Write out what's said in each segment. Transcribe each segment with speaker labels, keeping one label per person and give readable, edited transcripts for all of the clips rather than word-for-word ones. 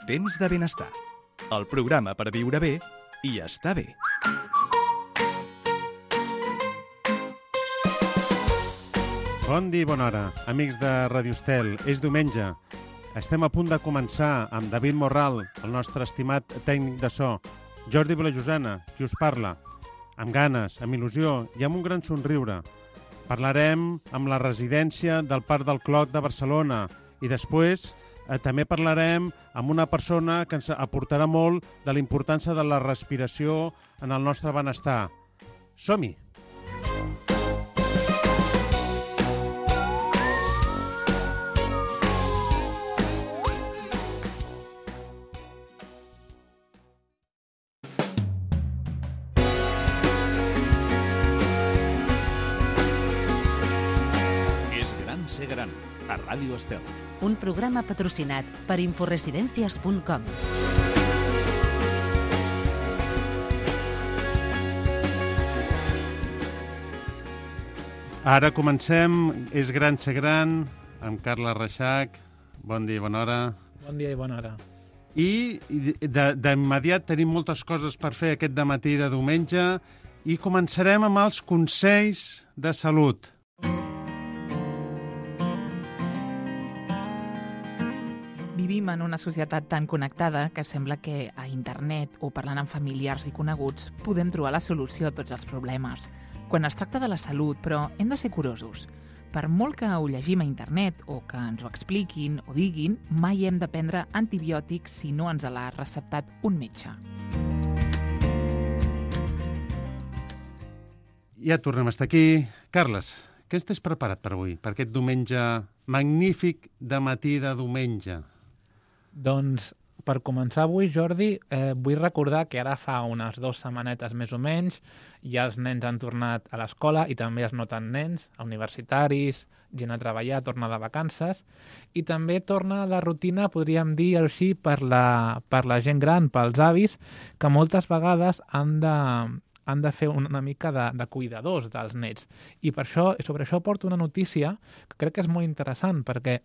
Speaker 1: Temps de benestar. El programa per viure bé i estar bé.
Speaker 2: Bon dia i bona hora, amics de Radio Estel. És diumenge. Estem a punt de començar amb David Morral, el nostre estimat tècnic de so, Jordi Vilajosana, qui us parla, amb ganes, amb il·lusió i amb un gran somriure. Parlarem amb la residència del Parc del Clot de Barcelona i després també parlarem amb una persona que ens aportarà molt de la importància de la respiració en el nostre benestar. Som-hi!
Speaker 3: Ser gran, a Ràdio Estel.
Speaker 4: Un programa patrocinat per inforesidencias.com.
Speaker 2: Ara comencem És gran ser gran, amb Carla Reixac. Bon dia i bona hora.
Speaker 5: Bon dia i bona hora.
Speaker 2: I d'immediat tenim moltes coses per fer aquest dematí de diumenge i començarem amb els consells de salut.
Speaker 6: Vivim en una societat tan connectada que sembla que a internet o parlant amb familiars i coneguts podem trobar la solució a tots els problemes. Quan es tracta de la salut, però, hem de ser curosos. Per molt que ho llegim a internet o que ens ho expliquin o diguin, mai hem de prendre antibiòtics si no ens l'ha receptat un metge.
Speaker 2: Ja tornem a estar aquí. Carles, què estàs preparat per avui, per aquest diumenge magnífic de matí de diumenge?
Speaker 5: Doncs, per començar avui, Jordi, vull recordar que ara fa unes 2 setmanetes més o menys ja els nens han tornat a l'escola i també es noten nens, universitaris, gent a treballar, torna de vacances, i també torna la rutina, podríem dir així, per la gent gran, pels avis, que moltes vegades han de fer una mica de cuidadors dels nets. I sobre això porto una notícia que crec que és molt interessant, perquè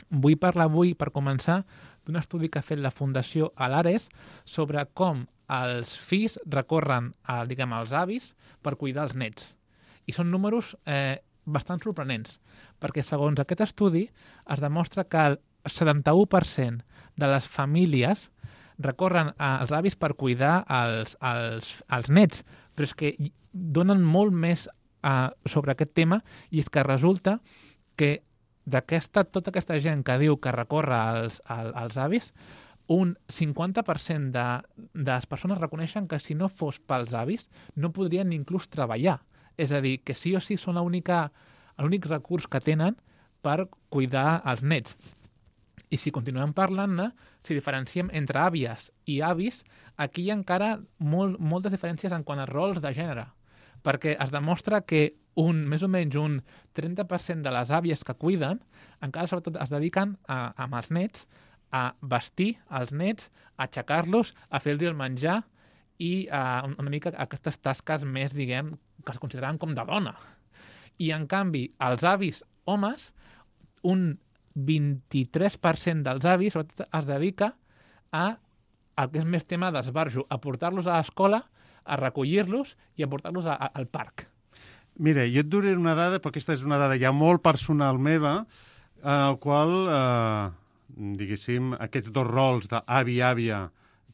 Speaker 5: vull parlar avui, per començar, d'un estudi que ha fet la Fundació Alares sobre com els fills recorren als avis per cuidar els nets. I són números bastant sorprenents, perquè segons aquest estudi es demostra que el 71% de les famílies recorren als avis per cuidar els nets, però és que donen molt més sobre aquest tema, i és que resulta que tota aquesta gent que diu que recorre als avis, un 50% de les persones reconeixen que si no fos pels avis no podrien inclús treballar. És a dir, que sí o sí són l'únic recurs que tenen per cuidar els nets. I si continuem parlant-ne, si diferenciem entre àvies i avis, aquí hi ha encara moltes diferències en quant a rols de gènere, perquè es demostra que més o menys un 30% de les àvies que cuiden encara sobretot es dediquen amb els nets a vestir els nets, a aixecar-los, a fer-los el menjar i una mica aquestes tasques més, diguem, que es consideraven com de dona. I en canvi, els avis homes, un 23% dels avis sobretot es dedica al que és més tema d'esbarjo, a portar-los a l'escola, a recollir-los i a portar-los al parc.
Speaker 2: Mira, jo et duré una dada, però aquesta és una dada ja molt personal meva, en el qual, diguéssim, aquests dos rols d'avi i àvia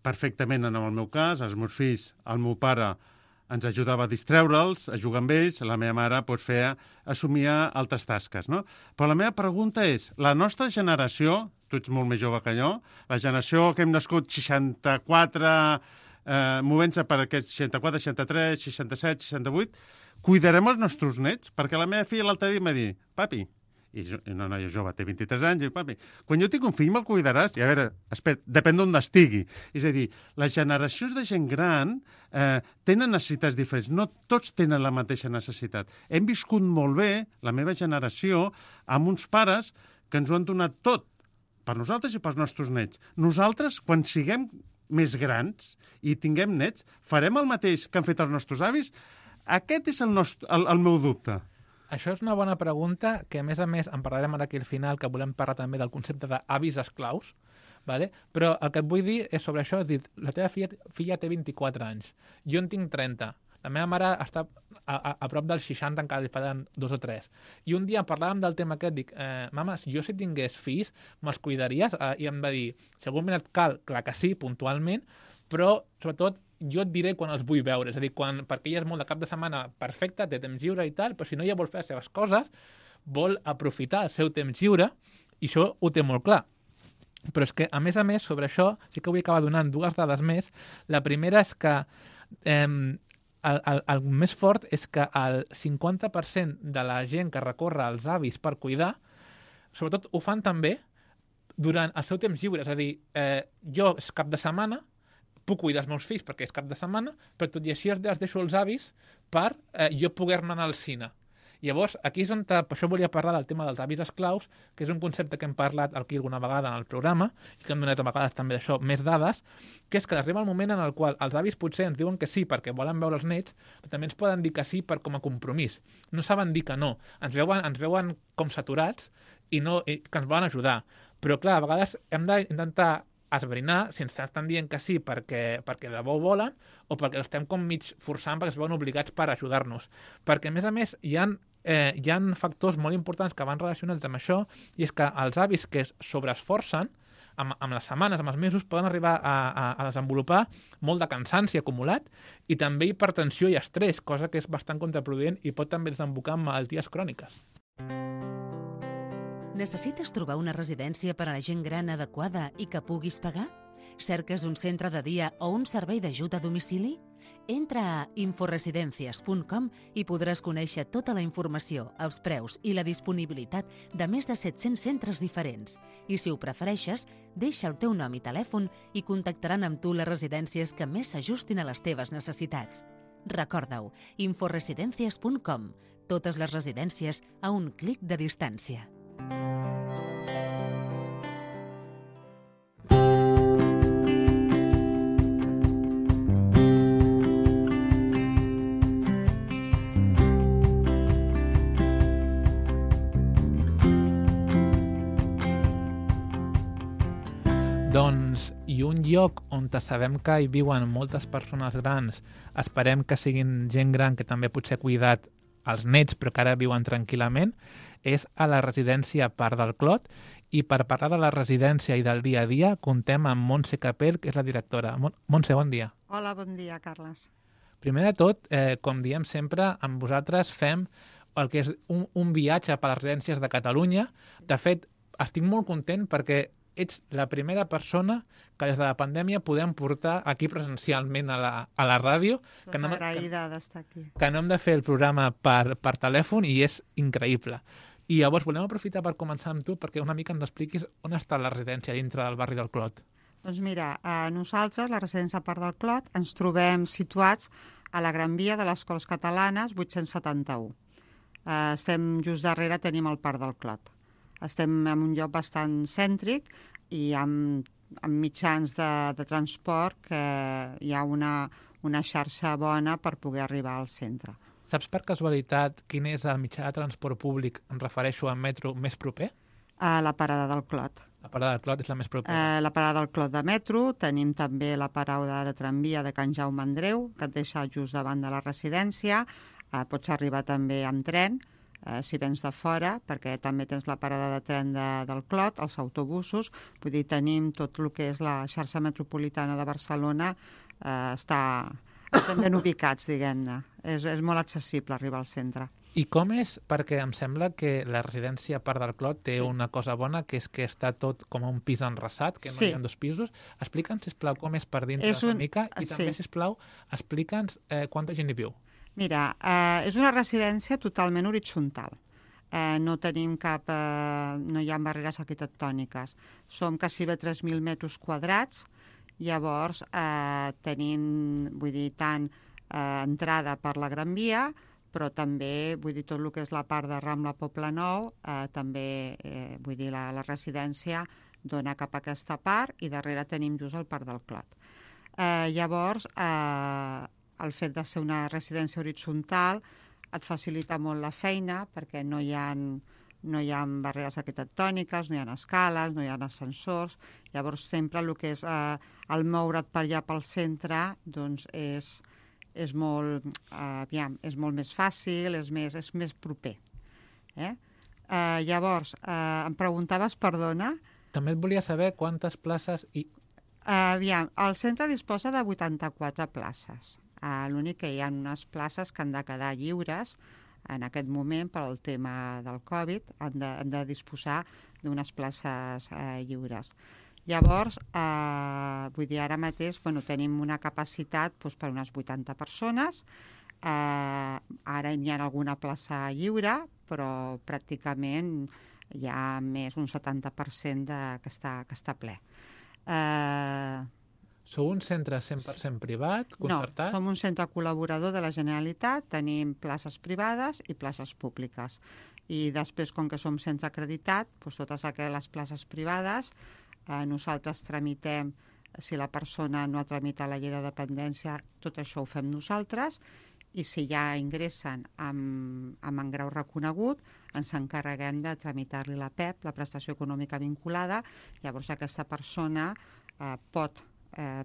Speaker 2: perfectament en el meu cas, els meus fills, el meu pare ens ajudava a distreure'ls, a jugar amb ells, la meva mare assumia altres tasques, no? Però la meva pregunta és, la nostra generació, tu ets molt més jove que jo, la generació que hem nascut 64, movent-se per aquests 64, 63, 67, 68, cuidarem els nostres nets? Perquè la meva filla l'altre dia em va dir, papi, i una noia jove, té 23 anys, i papi, quan jo tinc un fill me'l cuidaràs? I a veure, espera, depèn d'on estigui. És a dir, les generacions de gent gran tenen necessitats diferents, no tots tenen la mateixa necessitat. Hem viscut molt bé, la meva generació, amb uns pares que ens ho han donat tot, per nosaltres i pels nostres nets. Nosaltres, quan siguem més grans i tinguem nets, farem el mateix que han fet els nostres avis? Aquest és el meu dubte.
Speaker 5: Això és una bona pregunta, que a més en parlarem ara aquí al final, que volem parlar també del concepte d'avis esclaus, Vale? Però el que et vull dir és sobre això, és dir, la teva filla té 24 anys, jo en tinc 30, la meva mare està a prop dels 60, encara li falten 2 o 3. I un dia parlàvem del tema aquest, dic, mama, jo si tingués fills, me'ls cuidaries? I em va dir, si algun moment et cal, clar que sí, puntualment, però sobretot jo et diré quan els vull veure, és a dir, perquè ella és molt de cap de setmana perfecta, té temps lliure i tal, però si no ella vol fer les seves coses, vol aprofitar el seu temps lliure, i això ho té molt clar. Però és que, a més, sobre això, sí que vull acabar donant 2 dades més. La primera és que el més fort és que el 50% de la gent que recorre als avis per cuidar, sobretot ho fan també durant el seu temps lliure. És a dir, jo és cap de setmana, puc cuidar els meus fills perquè és cap de setmana, però tot i així els deixo els avis per jo poder-ne anar al cine. Llavors, aquí és on, per això volia parlar del tema dels avis esclaus, que és un concepte que hem parlat aquí alguna vegada en el programa, i que hem donat a vegades també d'això més dades, que és que arriba el moment en el qual els avis potser ens diuen que sí perquè volen veure els nets, però també ens poden dir que sí com a compromís. No saben dir que no. Ens veuen com saturats i que ens volen ajudar. Però, clar, a vegades hem d'intentar esbrinar si ens estan dient que sí perquè de debò volen o perquè l'estem com mig forçant perquè es veuen obligats per ajudar-nos. Perquè, a més, hi ha factors molt importants que van relacionats amb això, i és que els avis que es sobreesforcen amb les setmanes, amb els mesos, poden arribar a desenvolupar molt de cansanci acumulat i també hipertensió i estrès, cosa que és bastant contraproduent i pot també desembocar en malalties cròniques.
Speaker 4: Necessites trobar una residència per a la gent gran adequada i que puguis pagar? Cerques un centre de dia o un servei d'ajut a domicili? Entra a inforesidencias.com i podràs conèixer tota la informació, els preus i la disponibilitat de més de 700 centres diferents. I si ho prefereixes, deixa el teu nom i telèfon i contactaran amb tu les residències que més s'ajustin a les teves necessitats. Recorda-ho, inforesidencias.com. Totes les residències a un clic de distància.
Speaker 5: Doncs, i un lloc on sabem que hi viuen moltes persones grans, esperem que siguin gent gran que també potser ha cuidat els nets però que ara viuen tranquil·lament, és a la residència Parc del Clot, i per parlar de la residència i del dia a dia contem amb Montse Capell, que és la directora. Montse, bon dia.
Speaker 7: Hola, bon dia, Carles.
Speaker 5: Primer de tot, com diem sempre, amb vosaltres fem el que és un viatge per les residències de Catalunya. De fet, estic molt content perquè ets la primera persona que des de la pandèmia podem portar aquí presencialment a la ràdio.
Speaker 7: Doncs agraïda d'estar aquí.
Speaker 5: Que no hem de fer el programa per telèfon i és increïble. I llavors volem aprofitar per començar amb tu perquè una mica ens expliquis on està la residència dintre del barri del Clot.
Speaker 7: Doncs mira, nosaltres, la residència Parc del Clot, ens trobem situats a la Gran Via de les Corts Catalanes 871. Estem just darrere, tenim el Parc del Clot. Estem en un lloc bastant cèntric i amb mitjans de transport que hi ha una xarxa bona per poder arribar al centre.
Speaker 5: Saps per casualitat quin és el mitjà de transport públic, em refereixo al metro, més proper?
Speaker 7: La parada del Clot.
Speaker 5: La parada del Clot és la més propera.
Speaker 7: La parada del Clot de metro, tenim també la parada de tramvia de Can Jaume Andreu, que et deixa just davant de la residència. Pots arribar també amb tren, si vens de fora, perquè també tens la parada de tren del Clot, els autobusos, vull dir, tenim tot el que és la xarxa metropolitana de Barcelona, estem ben ubicats, diguem-ne. És molt accessible arribar al centre.
Speaker 5: I com és? Perquè em sembla que la residència Parc del Clot té una cosa bona, que és que està tot com un pis enrasat, que no hi ha 2 pisos. Explica'ns, sisplau, com és per dintre una mica i també, sisplau, explica'ns quanta gent hi viu.
Speaker 7: Mira, és una residència totalment horitzontal. No tenim no hi ha barreres arquitectòniques. Som quasi 3.000 metres quadrats, llavors tenim, vull dir, tant entrada per la Gran Via, però també, vull dir, tot el que és la part de Rambla Poble Nou, també, vull dir, la residència dona cap a aquesta part i darrere tenim just el Parc del Clot. Llavors, el fet de ser una residència horitzontal et facilita molt la feina perquè no hi ha no hi ha barreres arquitectòniques, no hi ha escales, no hi ha ascensors. Llavors, sempre el que és el moure't per allà pel centre doncs és molt més fàcil, és més proper. Llavors, em preguntaves, perdona...
Speaker 5: També et volia saber quantes places...
Speaker 7: el centre disposa de 84 places. L'únic que hi ha unes places que han de quedar lliures en aquest moment per al tema del Covid, han de disposar d'unes places lliures. Llavors, vull dir, ara mateix tenim una capacitat per unes 80 persones, ara hi ha alguna plaça lliure, però pràcticament hi ha més un 70% que està ple.
Speaker 5: Sou un centre 100% privat, concertat?
Speaker 7: No, som un centre col·laborador de la Generalitat, tenim places privades i places públiques. I després, com que som centre acreditat, totes aquelles places privades, nosaltres tramitem, si la persona no ha tramitat la llei de dependència, tot això ho fem nosaltres, i si ja ingressen amb engrau reconegut, ens encarreguem de tramitar-li la PEP, la prestació econòmica vinculada. Llavors aquesta persona pot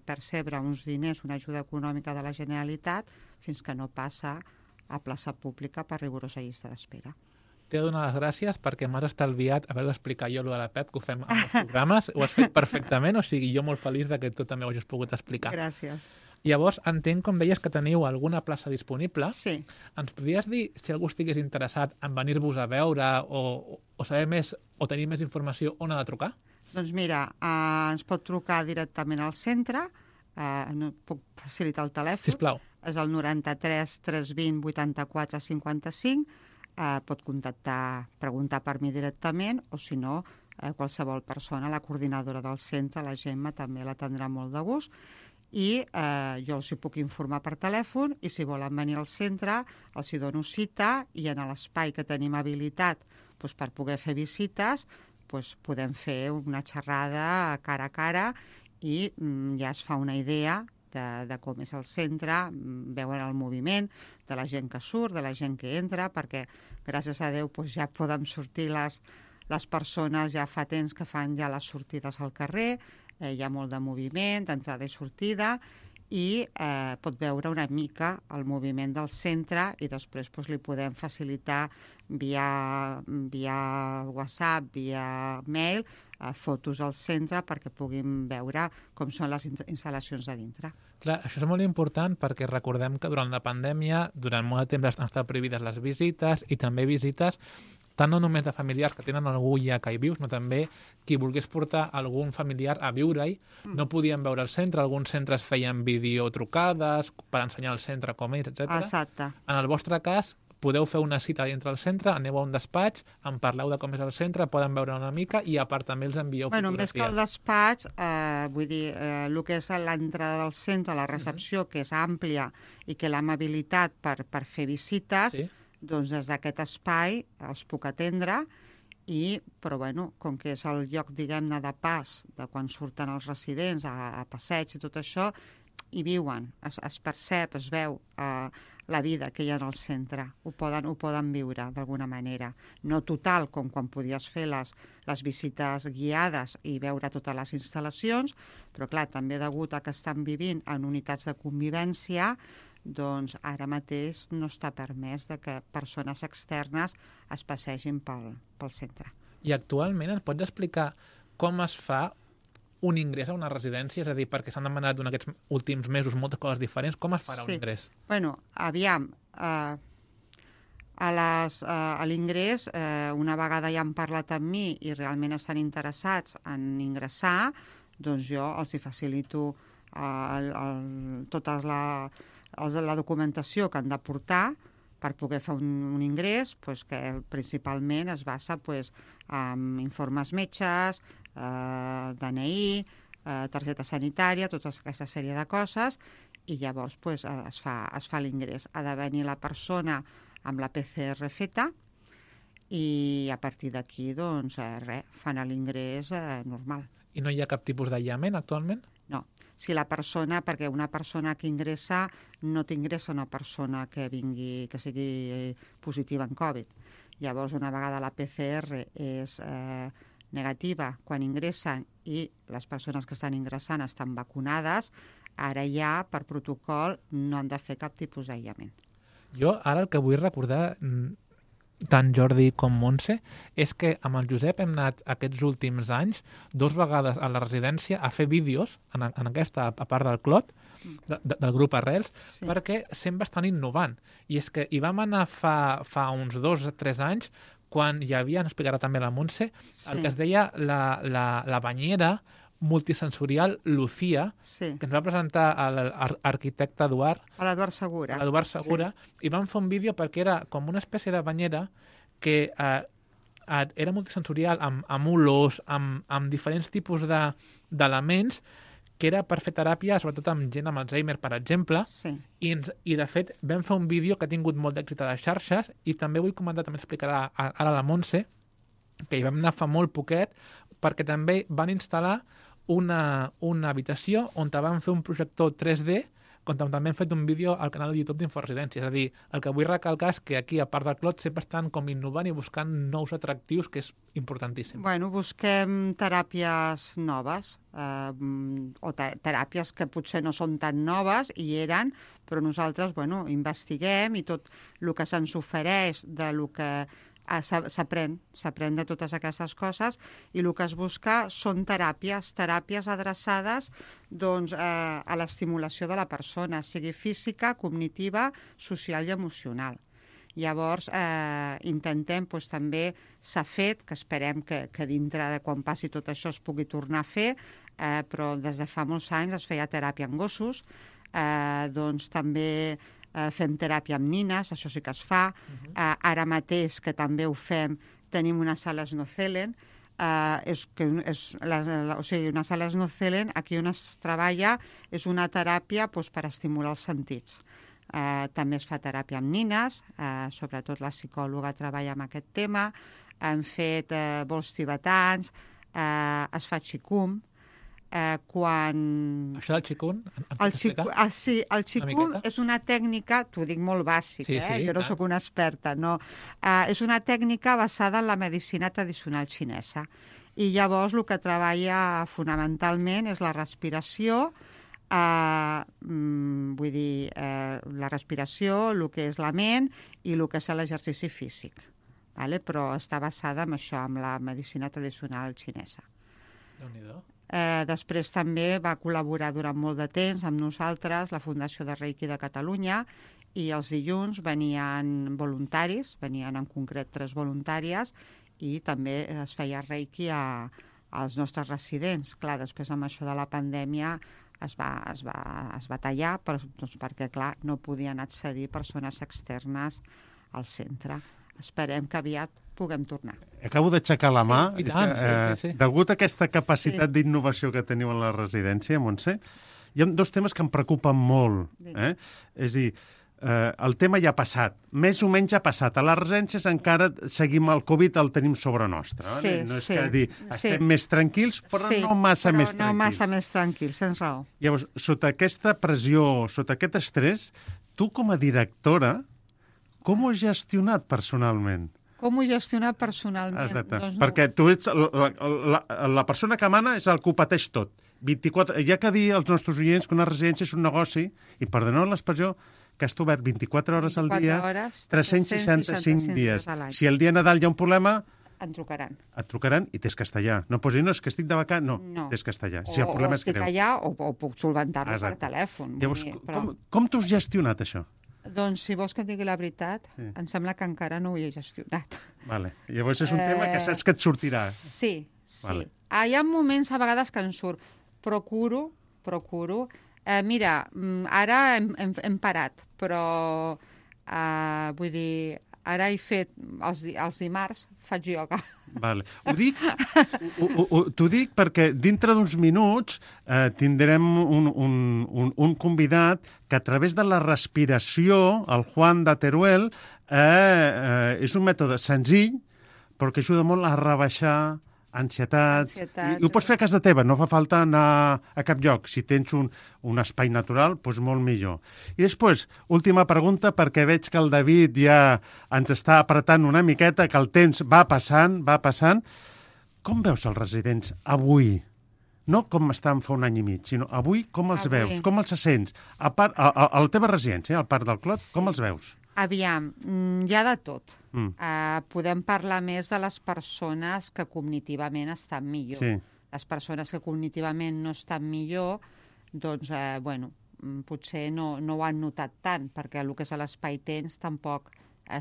Speaker 7: percebre uns diners, una ajuda econòmica de la Generalitat, fins que no passa a plaça pública per rigorosa llista d'espera.
Speaker 5: T'he de donar les gràcies perquè m'has estalviat haver d'explicar jo allò de la PEP, que ho fem en els programes. Ho has fet perfectament, o sigui, jo molt feliç que tu també ho hagis pogut explicar.
Speaker 7: Gràcies.
Speaker 5: Llavors, entenc, com deies, que teniu alguna plaça disponible.
Speaker 7: Sí.
Speaker 5: Ens podries dir, si algú estigués interessat en venir-vos a veure o saber més o tenir més informació, on ha de trucar?
Speaker 7: Doncs mira, ens pot trucar directament al centre, no puc facilitar el telèfon.
Speaker 5: Sisplau.
Speaker 7: És el 93 320 84 55, pot contactar, preguntar per mi directament, o si no, qualsevol persona, la coordinadora del centre, la Gemma, també l'atendrà molt de gust, i jo els hi puc informar per telèfon, i si volen venir al centre els hi dono cita, i en l'espai que tenim habilitat per poder fer visites podem fer una xerrada cara a cara i ja es fa una idea de com és el centre, veuen el moviment de la gent que surt, de la gent que entra, perquè gràcies a Déu ja poden sortir les persones, ja fa temps que fan ja les sortides al carrer, hi ha molt de moviment, d'entrada i sortida, i pot veure una mica el moviment del centre i després li podem facilitar via WhatsApp, via mail, fotos al centre perquè puguin veure com són les instal·lacions de dintre.
Speaker 5: Clar, això és molt important perquè recordem que durant la pandèmia, durant molt de temps han estat prohibides les visites i també visites tant no només de familiars que tenen algú ja que hi vius, sinó també qui volgués portar algun familiar a viure-hi, no podien veure el centre, alguns centres feien videotrucades per ensenyar el centre com és, etc.
Speaker 7: Exacte.
Speaker 5: En el vostre cas, podeu fer una cita dintre del centre, aneu a un despatx, en parleu de com és el centre, poden veure una mica i a part també els envieu fotografies.
Speaker 7: Més que el despatx, vull dir, el que és l'entrada del centre, la recepció, que és àmplia i que l'amabilitat per fer visites, doncs des d'aquest espai els puc atendre, però com que és el lloc, diguem-ne, de pas, de quan surten els residents a passeig i tot això, hi viuen, es percep, es veu la vida que hi ha en el centre, ho poden viure d'alguna manera. No total, com quan podies fer les visites guiades i veure totes les instal·lacions, però clar, també degut a que estan vivint en unitats de convivència, doncs ara mateix no està permès que persones externes es passegin pel centre.
Speaker 5: I actualment ens pots explicar com es fa un ingrés a una residència? És a dir, perquè s'han demanat durant aquests últims mesos moltes coses diferents. Com es farà un ingrés?
Speaker 7: Bueno, aviam, a l'ingrés, una vegada ja han parlat amb mi i realment estan interessats en ingressar, doncs jo els hi facilito tota la documentació que han de portar per poder fer un ingrés, que principalment es basa en informes metges, DNI, targeta sanitària, tota aquesta sèrie de coses, i llavors es fa l'ingrés. Ha de venir la persona amb la PCR feta i a partir d'aquí fan l'ingrés normal.
Speaker 5: I no hi ha cap tipus d'aïllament actualment?
Speaker 7: No. Si la persona, perquè una persona que ingressa no t'ingressa una persona que sigui positiva en Covid. Llavors, una vegada la PCR és negativa quan ingressen i les persones que estan ingressant estan vacunades, ara ja, per protocol, no han de fer cap tipus d'aïllament.
Speaker 5: Jo ara el que vull recordar, tant Jordi com Montse, és que amb el Josep hem anat aquests últims anys 2 vegades a la residència a fer vídeos en aquesta part del Clot, del grup Arrels,
Speaker 7: Sí.
Speaker 5: perquè sempre estan innovant. I és que hi vam anar fa uns 2 o 3 anys, quan hi havia, ens explicarà també la Montse, el que es deia la banyera multisensorial Lucía,
Speaker 7: Sí,
Speaker 5: que ens va presentar l'arquitecte Eduard,
Speaker 7: a l'Eduard Segura.
Speaker 5: l'Eduard Segura, i vam fer un vídeo perquè era com una espècie de banyera que era multisensorial, amb olors, amb diferents tipus d'elements, que era per fer teràpia, sobretot amb gent amb Alzheimer, per exemple,
Speaker 7: Sí.
Speaker 5: i de fet vam fer un vídeo que ha tingut molt d'èxit a les xarxes, i també vull comentar, també explicarà ara la Montse, que hi vam anar fa molt poquet, perquè també van instal·lar una habitació on van fer un projector 3D, com també hem fet un vídeo al canal de YouTube d'Inforesidència. És a dir, el que vull recalcar és que aquí, a part del Clot, sempre estan com innovant i buscant nous atractius, que és importantíssim.
Speaker 7: Bueno, busquem teràpies noves, o teràpies que potser no són tan noves, i eren, però nosaltres, bueno, investiguem i tot el que se'ns ofereix de lo que s'aprèn de totes aquestes coses, i el que es busca són teràpies adreçades doncs, a l'estimulació de la persona, sigui física, cognitiva, social i emocional. Llavors, intentem, doncs, també s'ha fet, que esperem que dintre de quan passi tot això es pugui tornar a fer, però des de fa molts anys es feia teràpia en gossos, doncs també fem teràpia amb nines, això sí que es fa. Ara mateix, que també ho fem, tenim una sala Snozelen, o sigui, una sala Snozelen, aquí on es treballa, és una teràpia doncs, per estimular els sentits. També es fa teràpia amb nines, sobretot la psicòloga treballa amb aquest tema, hem fet vols tibetans, es fa xicum, quan...
Speaker 5: Això del xicun,
Speaker 7: Sí, el xicun és una tècnica, t'ho dic molt bàsic, jo no sóc una experta, no. És una tècnica basada en la medicina tradicional xinesa. I llavors el que treballa fonamentalment és la respiració, vull dir, la respiració, el que és la ment i el que és l'exercici físic. Però està basada en això, en la medicina tradicional xinesa.
Speaker 5: Déu-n'hi-do.
Speaker 7: Després també va col·laborar durant molt de temps amb nosaltres la Fundació de Reiki de Catalunya, i els dilluns venien voluntaris, venien en concret 3 voluntàries, i també es feia Reiki als nostres residents. Clar, després amb això de la pandèmia es va tallar, doncs perquè clar, no podien accedir persones externes al centre. Esperem que aviat puguem tornar.
Speaker 2: Acabo d'aixecar la mà.
Speaker 5: I tant, sí.
Speaker 2: Degut a aquesta capacitat d'innovació que teniu en la residència, Montse, hi ha 2 temes que em preocupen molt. És a dir, el tema ja ha passat, més o menys ha passat. A les residències encara seguim el Covid, el tenim sobre nostre. No és que dir, estem més tranquils, però no massa més tranquils.
Speaker 7: No massa més tranquils, tens raó.
Speaker 2: Llavors, sota aquesta pressió, sota aquest estrès, tu com a directora, com ho has gestionat personalment?
Speaker 7: Com ho he gestionat personalment?
Speaker 2: Exacte,
Speaker 7: doncs no.
Speaker 2: perquè tu ets la persona que mana és el que ho pateix tot. 24, hi ha que dir als nostres oients que una residència és un negoci, i perdoneu l'expressió, que està obert 24 hores al dia, 365 dies. Si el dia de Nadal hi ha un problema,
Speaker 7: et trucaran.
Speaker 2: Et trucaran i tens castellà. No posis, no, és que estic de vacant. No, tens castellà. Si el problema és greu.
Speaker 7: O estic allà o puc solventar-lo per telèfon.
Speaker 2: Llavors, com t'ho has gestionat, això?
Speaker 7: Doncs, si vols que et digui la veritat, em sembla que encara no ho he gestionat.
Speaker 2: Vale. Llavors és un tema que saps que et sortirà.
Speaker 7: Sí. Vale. Hi ha moments a vegades que em surt. Procuro. Mira, ara hem parat, però vull dir, ara he fet, els dimarts faig ioga.
Speaker 2: Vale. T'ho dic perquè dintre d'uns minuts tindrem un convidat que a través de la respiració, el Juan de Teruel, és un mètode senzill però que ajuda molt a rebaixar ansietats...
Speaker 7: Ansietats,
Speaker 2: I ho pots fer a casa teva, no fa falta anar a cap lloc. Si tens un espai natural, doncs molt millor. I després, última pregunta, perquè veig que el David ja ens està apretant una miqueta, que el temps va passant. Com veus els residents avui? No com estan fa un any i mig, sinó avui com els veus, com els sents? A la teva residència, al Parc del Clot, com els veus?
Speaker 7: Aviam, hi ha de tot. Podem parlar més de les persones que cognitivament estan millor.
Speaker 2: Sí.
Speaker 7: Les persones que cognitivament no estan millor, doncs, potser no ho han notat tant, perquè el que és l'espai temps tampoc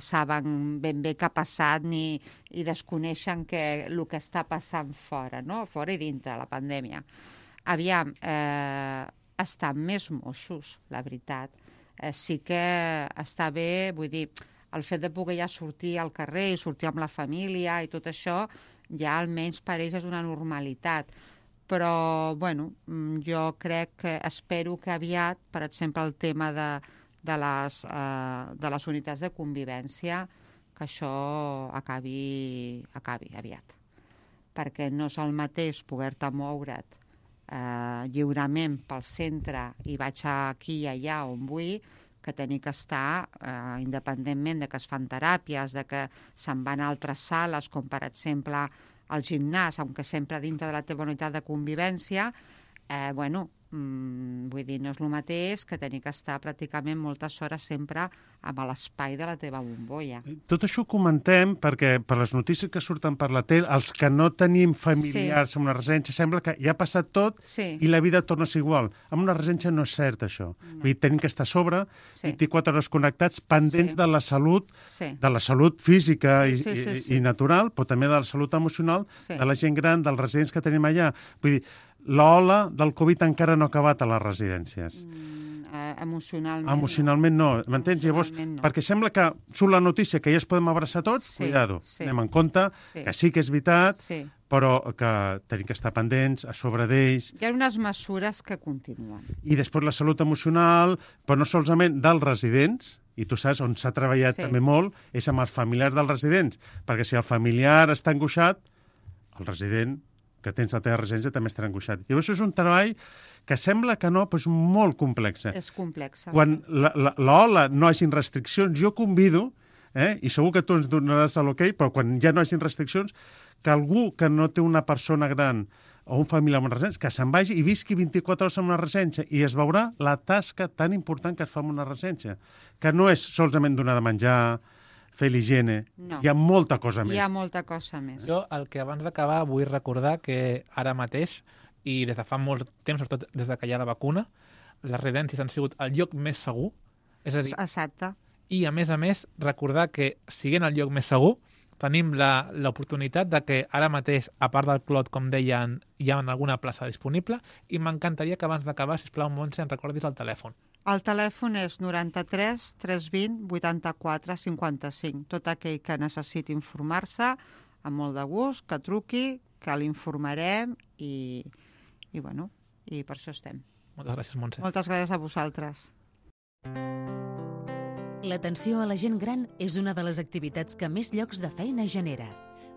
Speaker 7: saben ben bé què ha passat i desconeixen el que està passant fora, no? Fora i dintre la pandèmia. Aviam, estan més moixos, la veritat. Sí que està bé, vull dir, el fet de poder ja sortir al carrer i sortir amb la família i tot això, ja almenys per ells és una normalitat. Però, jo crec que espero que aviat, per exemple, el tema de les unitats de convivència, que això acabi aviat. Perquè no és el mateix poder-te moure't lliurement pel centre i vaig aquí i allà on vull, que tenir que estar, independentment de que es fan teràpies, de que se'n van a altres sales, com per exemple el gimnàs, aunque sempre dintre de la teva unitat de convivència, vull dir, no és el mateix que tenir que estar pràcticament moltes hores sempre amb l'espai de la teva bombolla.
Speaker 2: Tot això ho comentem perquè per les notícies que surten per la tele, els que no tenim familiars en una residència, sembla que ja ha passat tot i la vida torna a ser igual. En una residència no és cert, això. No. Vull dir, tenim que estar a sobre, 24 hores connectats, pendents de la salut, de la salut física i natural, però també de la salut emocional de la gent gran, dels residents que tenim allà. Vull dir, l'ola del Covid encara no ha acabat a les residències.
Speaker 7: Emocionalment.
Speaker 2: Emocionalment no, m'entens? Llavors, perquè sembla que surt la notícia que ja es podem abraçar tots, cuidado, anem en compte, que sí que és veritat, però que tenim que estar pendents, a sobre d'ells.
Speaker 7: Hi ha unes mesures que continuen.
Speaker 2: I després la salut emocional, però no solament dels residents, i tu saps on s'ha treballat també molt, és amb els familiars dels residents, perquè si el familiar està angoixat, el resident que tens a la teva residència també estarà angoixat. I això és un treball que sembla que no, però és molt complex.
Speaker 7: És complex.
Speaker 2: Quan l'ola no hagin restriccions, jo convido, i segur que tu ens donaràs l'ok, però quan ja no hagin restriccions, que algú que no té una persona gran o un familiar en una residència, que se'n vagi i visqui 24 hores en una residència i es veurà la tasca tan important que es fa en una residència, que no és solament donar de menjar, fer l'higiene. No. Hi ha molta cosa més.
Speaker 7: Hi ha molta cosa més.
Speaker 5: Jo, el que abans d'acabar, vull recordar que ara mateix, i des de fa molt temps, sobretot des que hi ha la vacuna, les residències han sigut el lloc més segur. És a dir,
Speaker 7: exacte.
Speaker 5: I, a més, recordar que, siguent el lloc més segur, tenim l'oportunitat de que ara mateix, a part del Clot, com deien, hi ha alguna plaça disponible, i m'encantaria que abans d'acabar, sisplau, Montse, em recordis el telèfon.
Speaker 7: El telèfon és 93 320 84 55. Tot aquell que necessiti informar-se, amb molt de gust, que truqui, que l'informarem i per això estem.
Speaker 5: Moltes gràcies, Montse.
Speaker 7: Moltes gràcies a vosaltres.
Speaker 4: L'atenció a la gent gran és una de les activitats que més llocs de feina genera.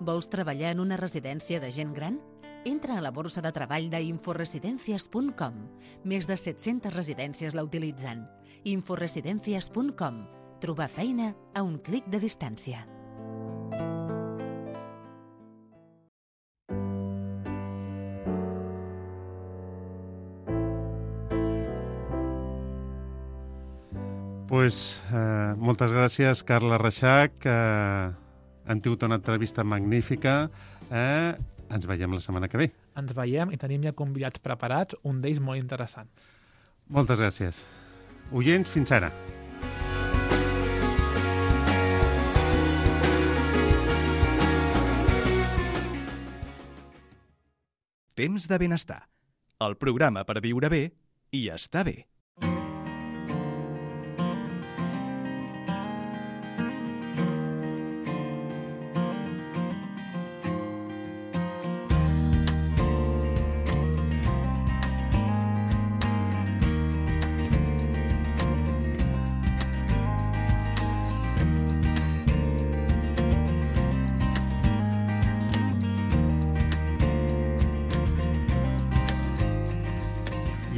Speaker 4: Vols treballar en una residència de gent gran? Entra a la borsa de treball d'inforesidencias.com. Més de 700 residències la utilitzen. Inforesidencias.com. Trobar feina a un clic de distància.
Speaker 2: Moltes gràcies, Carla Reixach. Han tingut una entrevista magnífica. Ens veiem la setmana que ve.
Speaker 5: Ens veiem i tenim ja convidats preparats, un d'ells molt interessant.
Speaker 2: Moltes gràcies. Oients, fins ara.
Speaker 1: Temps de benestar. El programa per viure bé i estar bé.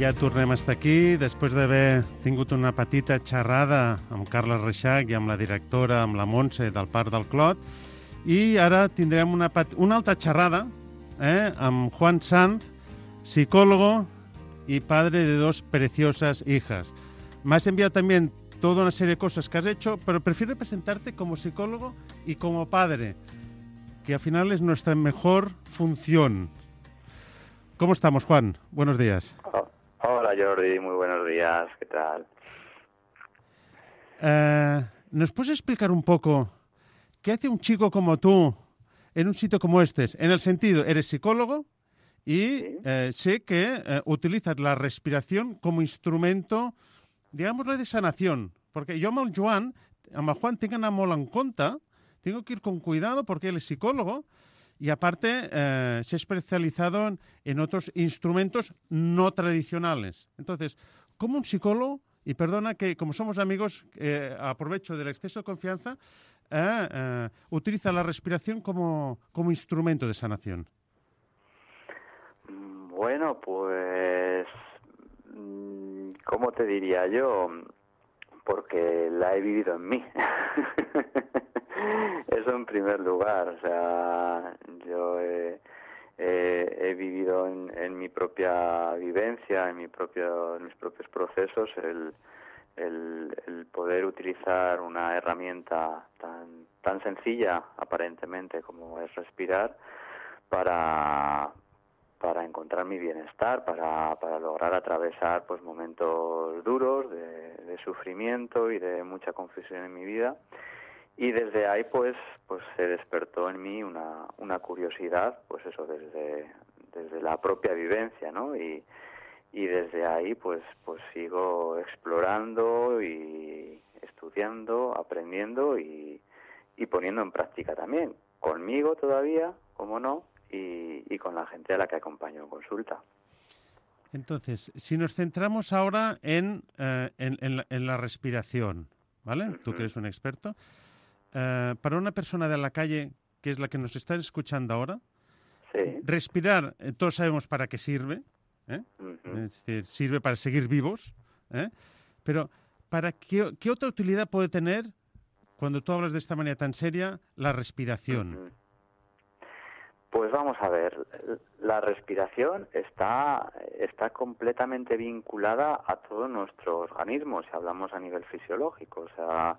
Speaker 2: ja tornem a estar aquí, després d'haver tingut una petita xerrada amb Carles Reixach i amb la directora, amb la Montse, del Parc del Clot, i ara tindrem una altra xerrada amb Juan Sanz, psicólogo y padre de 2 preciosas hijas. Me has enviado también toda una serie de cosas que has hecho, pero prefiero presentarte como psicólogo y como padre, que al final es nuestra mejor función. ¿Cómo estamos, Juan? Buenos días.
Speaker 8: Hola, Jordi. Muy buenos días. ¿Qué tal?
Speaker 2: ¿Nos puedes explicar un poco qué hace un chico como tú en un sitio como este? En el sentido, eres psicólogo y sé que utilizas la respiración como instrumento, digámosle, de sanación. Porque yo amb el Juan tinc d'anar molt en compte, tengo que ir con cuidado porque él es psicólogo y aparte se ha especializado en otros instrumentos no tradicionales. Entonces, como un psicólogo, y perdona que como somos amigos, aprovecho del exceso de confianza, utiliza la respiración como instrumento de sanación.
Speaker 8: Bueno, pues, ¿cómo te diría yo? Porque la he vivido en mí. Eso en primer lugar. O sea, yo he vivido en mi propia vivencia, en mis propios procesos, el poder utilizar una herramienta tan sencilla, aparentemente, como es respirar, para encontrar mi bienestar, para lograr atravesar pues momentos duros de sufrimiento y de mucha confusión en mi vida. Y desde ahí pues se despertó en mí una curiosidad, pues eso, desde la propia vivencia, ¿no? Y desde ahí pues sigo explorando y estudiando, aprendiendo y poniendo en práctica también, conmigo todavía, como no, y con la gente a la que acompaño en consulta.
Speaker 2: Entonces, si nos centramos ahora en la respiración, ¿vale? Tú que eres un experto, para una persona de la calle, que es la que nos está escuchando ahora,
Speaker 8: sí.
Speaker 2: Respirar, todos sabemos para qué sirve, es decir, sirve para seguir vivos, pero ¿para qué otra utilidad puede tener, cuando tú hablas de esta manera tan seria, la respiración?
Speaker 8: Pues vamos a ver, la respiración está completamente vinculada a todo nuestro organismo, si hablamos a nivel fisiológico. O sea,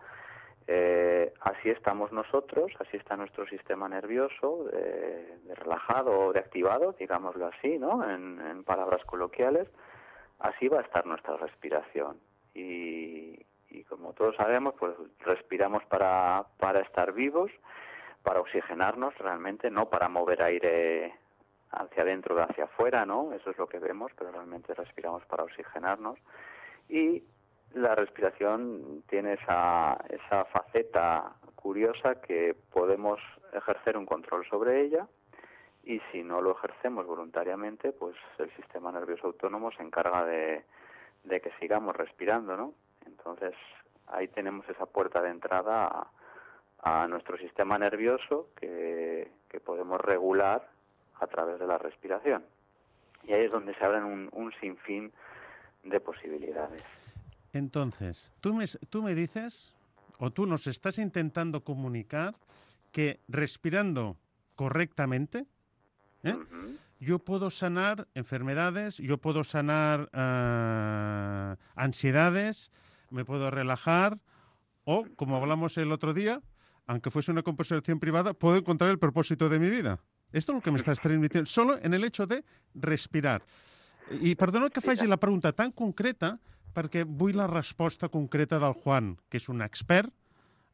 Speaker 8: así estamos nosotros, así está nuestro sistema nervioso, de relajado o de activado, digámoslo así, ¿no? En palabras coloquiales, así va a estar nuestra respiración. Y como todos sabemos, pues respiramos para estar vivos, para oxigenarnos realmente, no para mover aire hacia adentro o hacia afuera, ¿no? Eso es lo que vemos, pero realmente respiramos para oxigenarnos. Y la respiración tiene esa faceta curiosa que podemos ejercer un control sobre ella, y si no lo ejercemos voluntariamente, pues el sistema nervioso autónomo se encarga de que sigamos respirando, ¿no? Entonces, ahí tenemos esa puerta de entrada a nuestro sistema nervioso que podemos regular a través de la respiración. Y ahí es donde se abren un sinfín de posibilidades.
Speaker 2: Entonces, tú me dices, o tú nos estás intentando comunicar, que respirando correctamente, yo puedo sanar enfermedades, yo puedo sanar ansiedades, me puedo relajar, o, como hablamos el otro día, aunque fuese una conversación privada, puedo encontrar el propósito de mi vida. Esto es lo que me estás transmitiendo, solo en el hecho de respirar. I perdona que faci la pregunta tan concreta, perquè vull la resposta concreta del Juan, que és un expert,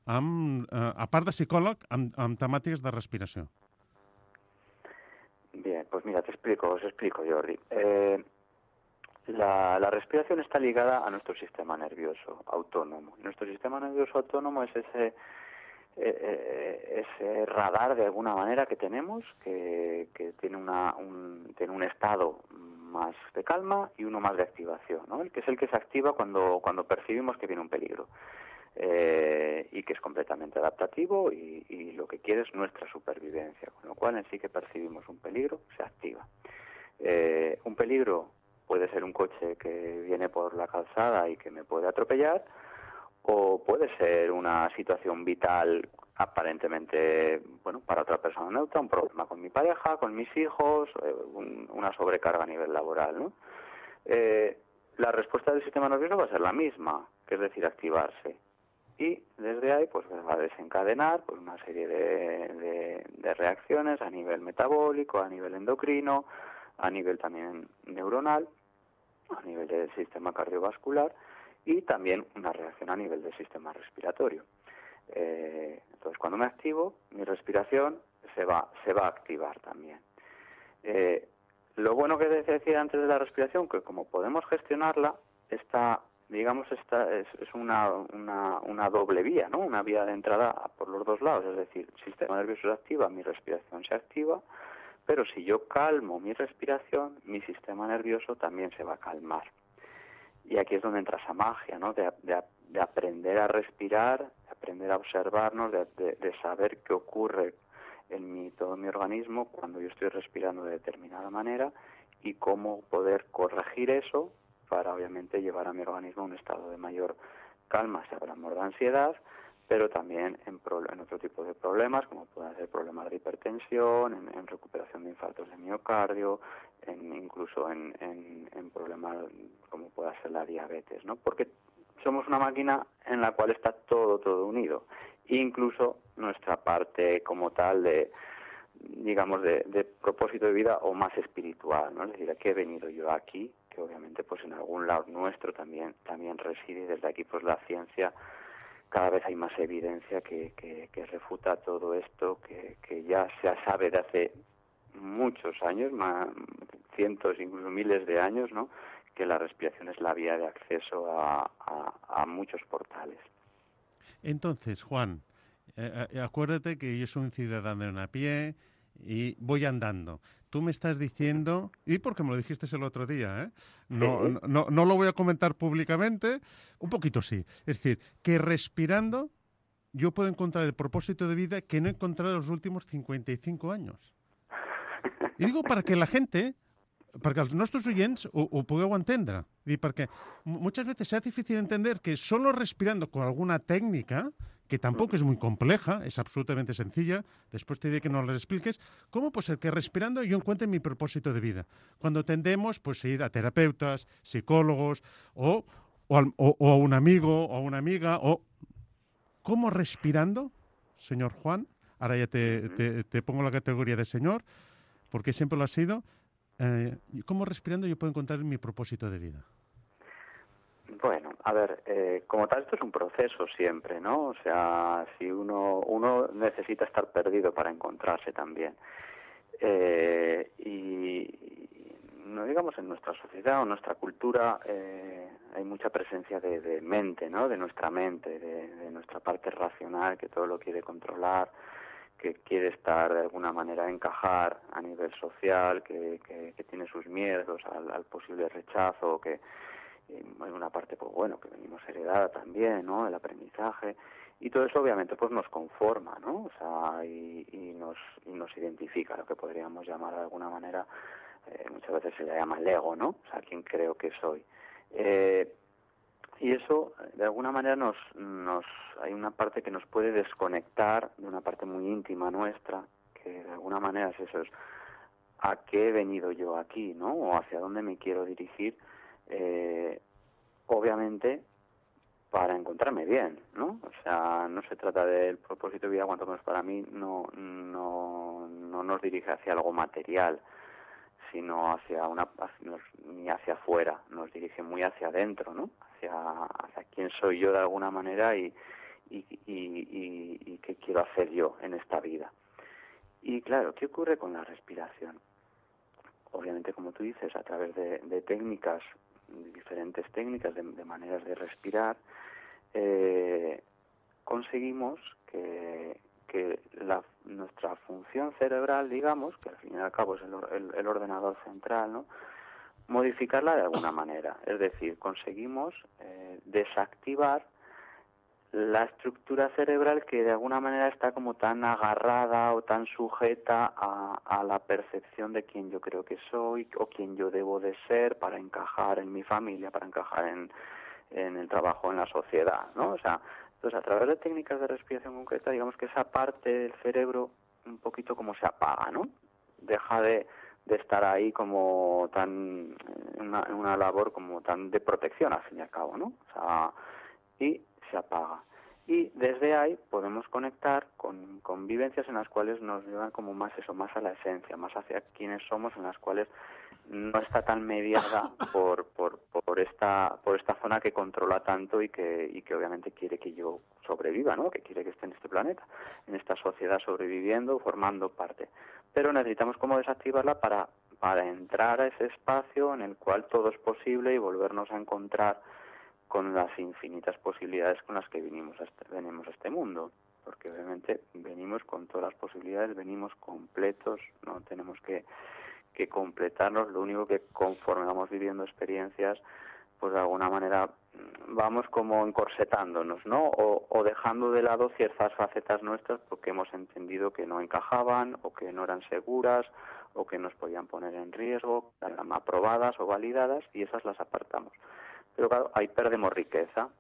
Speaker 2: a part de psicòleg, amb temàtiques de respiració.
Speaker 8: Bien, pues mira, os explico, Jordi. La respiración está ligada a nuestro sistema nervioso autónomo. Nuestro sistema nervioso autónomo es ese radar, de alguna manera, que tenemos, que tiene un estado más de calma y uno más de activación, ¿no? Que es el que se activa cuando percibimos que viene un peligro, y que es completamente adaptativo y lo que quiere es nuestra supervivencia, con lo cual en sí que percibimos un peligro, se activa. Un peligro puede ser un coche que viene por la calzada y que me puede atropellar, o puede ser una situación vital aparentemente, bueno, para otra persona neutra, un problema con mi pareja, con mis hijos, una sobrecarga a nivel laboral, ¿no? La respuesta del sistema nervioso va a ser la misma, que es decir, activarse. Y desde ahí pues va a desencadenar pues, una serie de reacciones a nivel metabólico, a nivel endocrino, a nivel también neuronal, a nivel del sistema cardiovascular y también una reacción a nivel del sistema respiratorio. Entonces, cuando me activo, mi respiración se va a activar también. Lo bueno que decía antes de la respiración, que como podemos gestionarla, es una doble vía, ¿no? Una vía de entrada por los dos lados, es decir, el sistema nervioso se activa, mi respiración se activa, pero si yo calmo mi respiración, mi sistema nervioso también se va a calmar. Y aquí es donde entra esa magia, ¿no? De aprender a respirar, de aprender a observarnos, de saber qué ocurre en todo mi organismo cuando yo estoy respirando de determinada manera y cómo poder corregir eso para obviamente llevar a mi organismo a un estado de mayor calma, si hablamos de ansiedad, pero también en otro tipo de problemas, como pueden ser problemas de hipertensión, en recuperación de infartos de miocardio, incluso en problemas como pueda ser la diabetes, ¿no? Porque somos una máquina en la cual está todo unido, incluso nuestra parte como tal de propósito de vida o más espiritual, ¿no? Es decir, ¿a qué he venido yo aquí? Que obviamente pues en algún lado nuestro también reside, y desde aquí pues la ciencia cada vez hay más evidencia que refuta todo esto, que ya se sabe de hace muchos años, cientos, incluso miles de años, ¿no? Que la respiración es la vía de acceso a muchos portales.
Speaker 2: Entonces, Juan, acuérdate que yo soy un ciudadano a pie y voy andando. Tú me estás diciendo, y porque me lo dijiste el otro día, no lo voy a comentar públicamente, un poquito sí. Es decir, que respirando yo puedo encontrar el propósito de vida que no he encontrado en los últimos 55 años. Y digo para que la gente, perquè els nostres oients ho pugueu entendre. I perquè muchas veces es difícil entender que solo respirando con alguna técnica, que tampoco es muy compleja, es absolutamente sencilla, después te diré que nos la expliques, ¿cómo puede ser que respirando yo encuentre mi propósito de vida? Cuando tendemos pues, a ir a terapeutas, psicólogos, o a un amigo, o a una amiga, o... ¿Cómo respirando, señor Juan? Ahora ya te pongo la categoría de señor, porque siempre lo ha sido... ¿Cómo respirando yo puedo encontrar mi propósito de vida?
Speaker 8: Bueno, a ver, como tal esto es un proceso siempre, ¿no? O sea, si uno necesita estar perdido para encontrarse también. Y no digamos en nuestra sociedad o nuestra cultura hay mucha presencia de mente, ¿no? De nuestra mente, de nuestra parte racional que todo lo quiere controlar, que quiere estar de alguna manera encajar a nivel social, que tiene sus miedos al posible rechazo, que hay una parte pues bueno que venimos heredada también, ¿no? El aprendizaje y todo eso obviamente pues nos conforma, ¿no? O sea, y nos identifica, lo que podríamos llamar de alguna manera, muchas veces se le llama el ego, ¿no? O sea, quién creo que soy. Y eso, de alguna manera, hay una parte que nos puede desconectar de una parte muy íntima nuestra, que de alguna manera es eso, es a qué he venido yo aquí, ¿no? O hacia dónde me quiero dirigir, obviamente, para encontrarme bien, ¿no? O sea, no se trata del propósito de vida, cuanto menos para mí, no nos dirige hacia algo material, sino ni hacia afuera, nos dirige muy hacia adentro, ¿no? Hacia quién soy yo de alguna manera y qué quiero hacer yo en esta vida. Y claro, ¿qué ocurre con la respiración? Obviamente, como tú dices, a través de técnicas, diferentes técnicas, de maneras de respirar, conseguimos que nuestra función cerebral, digamos, que al fin y al cabo es el ordenador central, ¿no? Modificarla de alguna manera. Es decir, conseguimos desactivar la estructura cerebral que de alguna manera está como tan agarrada o tan sujeta a la percepción de quién yo creo que soy o quién yo debo de ser para encajar en mi familia, para encajar en el trabajo, en la sociedad, ¿no? O sea, entonces a través de técnicas de respiración concreta, digamos que esa parte del cerebro un poquito como se apaga, ¿no? Deja de estar ahí como tan en una labor como tan de protección al fin y al cabo, ¿no? O sea, y se apaga. Y desde ahí podemos conectar con vivencias en las cuales nos llevan como más a la esencia, más hacia quiénes somos, en las cuales no está tan mediada por esta zona que controla tanto y que obviamente quiere que yo sobreviva, ¿no? Que quiere que esté en este planeta, en esta sociedad sobreviviendo, formando parte. Pero necesitamos como desactivarla para entrar a ese espacio en el cual todo es posible y volvernos a encontrar con las infinitas posibilidades con las que venimos a este mundo, porque obviamente venimos con todas las posibilidades, venimos completos, no tenemos que completarnos, lo único que conforme vamos viviendo experiencias, pues de alguna manera vamos como encorsetándonos, ¿no? O dejando de lado ciertas facetas nuestras porque hemos entendido que no encajaban o que no eran seguras o que nos podían poner en riesgo, eran aprobadas o validadas y esas las apartamos. Pero claro, ahí perdemos riqueza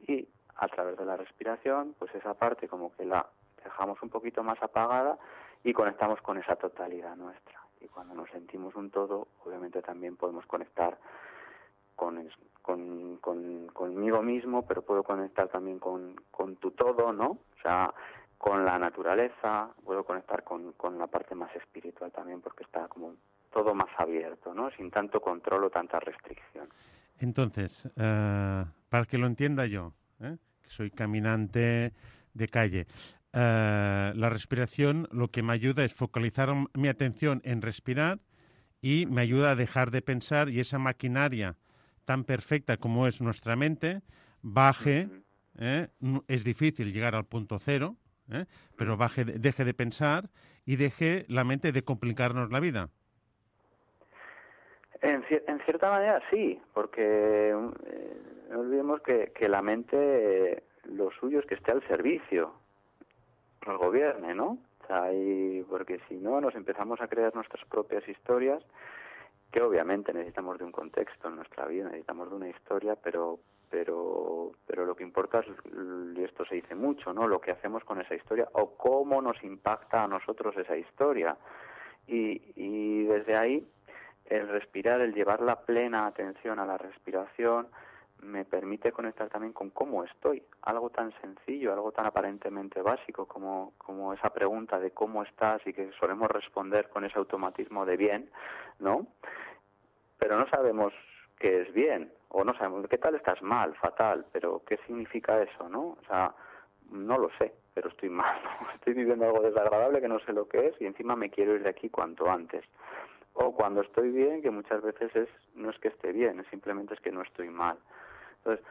Speaker 8: y a través de la respiración, pues esa parte como que la dejamos un poquito más apagada y conectamos con esa totalidad nuestra. Y cuando nos sentimos un todo, obviamente también podemos conectar conmigo mismo, pero puedo conectar también con tu todo, ¿no? O sea, con la naturaleza, puedo conectar con la parte más espiritual también, porque está como todo más abierto, ¿no? Sin tanto control o tanta restricción.
Speaker 2: Entonces, para que lo entienda yo, que soy caminante de calle, la respiración lo que me ayuda es focalizar mi atención en respirar y me ayuda a dejar de pensar y esa maquinaria tan perfecta como es nuestra mente baje, es difícil llegar al punto cero, pero deje de pensar y deje la mente de complicarnos la vida.
Speaker 8: En cierta manera sí, porque no olvidemos que la mente, lo suyo es que esté al servicio, nos gobierne, ¿no? O sea, porque si no nos empezamos a crear nuestras propias historias, que obviamente necesitamos de un contexto en nuestra vida, necesitamos de una historia, pero lo que importa es, y esto se dice mucho, ¿no? Lo que hacemos con esa historia o cómo nos impacta a nosotros esa historia. Y desde ahí el respirar, el llevar la plena atención a la respiración, me permite conectar también con cómo estoy. Algo tan sencillo, algo tan aparentemente básico como esa pregunta de cómo estás y que solemos responder con ese automatismo de bien, ¿no? Pero no sabemos qué es bien, o no sabemos qué tal estás mal, fatal, pero ¿qué significa eso, no? O sea, no lo sé, pero estoy mal, ¿no? Estoy viviendo algo desagradable que no sé lo que es y encima me quiero ir de aquí cuanto antes. O cuando estoy bien, que muchas veces no es que esté bien, simplemente es que no estoy mal. Entonces,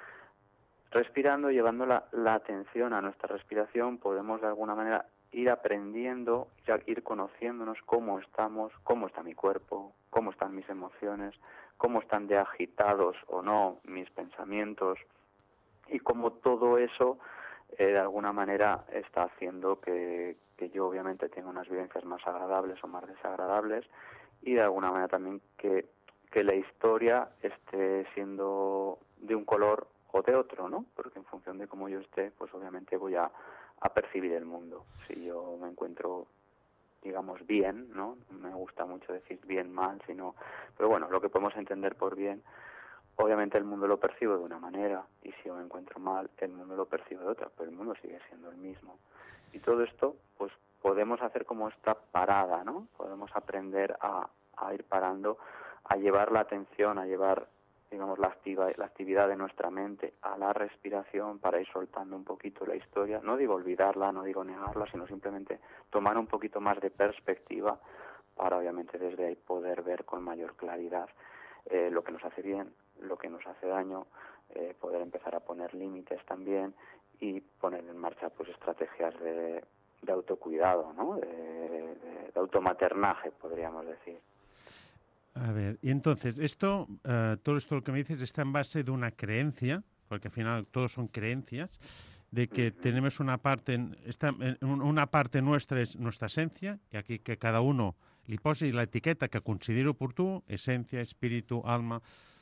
Speaker 8: respirando, llevando la atención a nuestra respiración, podemos de alguna manera ir aprendiendo, ir conociéndonos cómo estamos, cómo está mi cuerpo, cómo están mis emociones, cómo están de agitados o no mis pensamientos y cómo todo eso de alguna manera está haciendo que yo obviamente tenga unas vivencias más agradables o más desagradables y de alguna manera también que la historia esté siendo de un color o de otro, ¿no? Porque en función de cómo yo esté, pues obviamente voy a percibir el mundo. Si yo me encuentro, digamos, bien, ¿no? Me gusta mucho decir bien, mal, sino... Pero bueno, lo que podemos entender por bien, obviamente el mundo lo percibo de una manera, y si yo me encuentro mal, el mundo lo percibe de otra, pero el mundo sigue siendo el mismo. Y todo esto, pues podemos hacer como esta parada, ¿no? Podemos aprender a ir parando, a llevar la atención, a llevar, digamos, la actividad de nuestra mente a la respiración para ir soltando un poquito la historia. No digo olvidarla, no digo negarla, sino simplemente tomar un poquito más de perspectiva para, obviamente, desde ahí poder ver con mayor claridad lo que nos hace bien, lo que nos hace daño, poder empezar a poner límites también y poner en marcha pues estrategias de autocuidado, ¿no? De automaternaje, podríamos decir.
Speaker 2: A ver, y entonces, todo esto lo que me dices está en base de una creencia, porque al final todos son creencias, de que tenemos una parte nuestra es nuestra esencia, y aquí que cada uno li posi la etiqueta que considere oportú, esencia, espíritu, alma.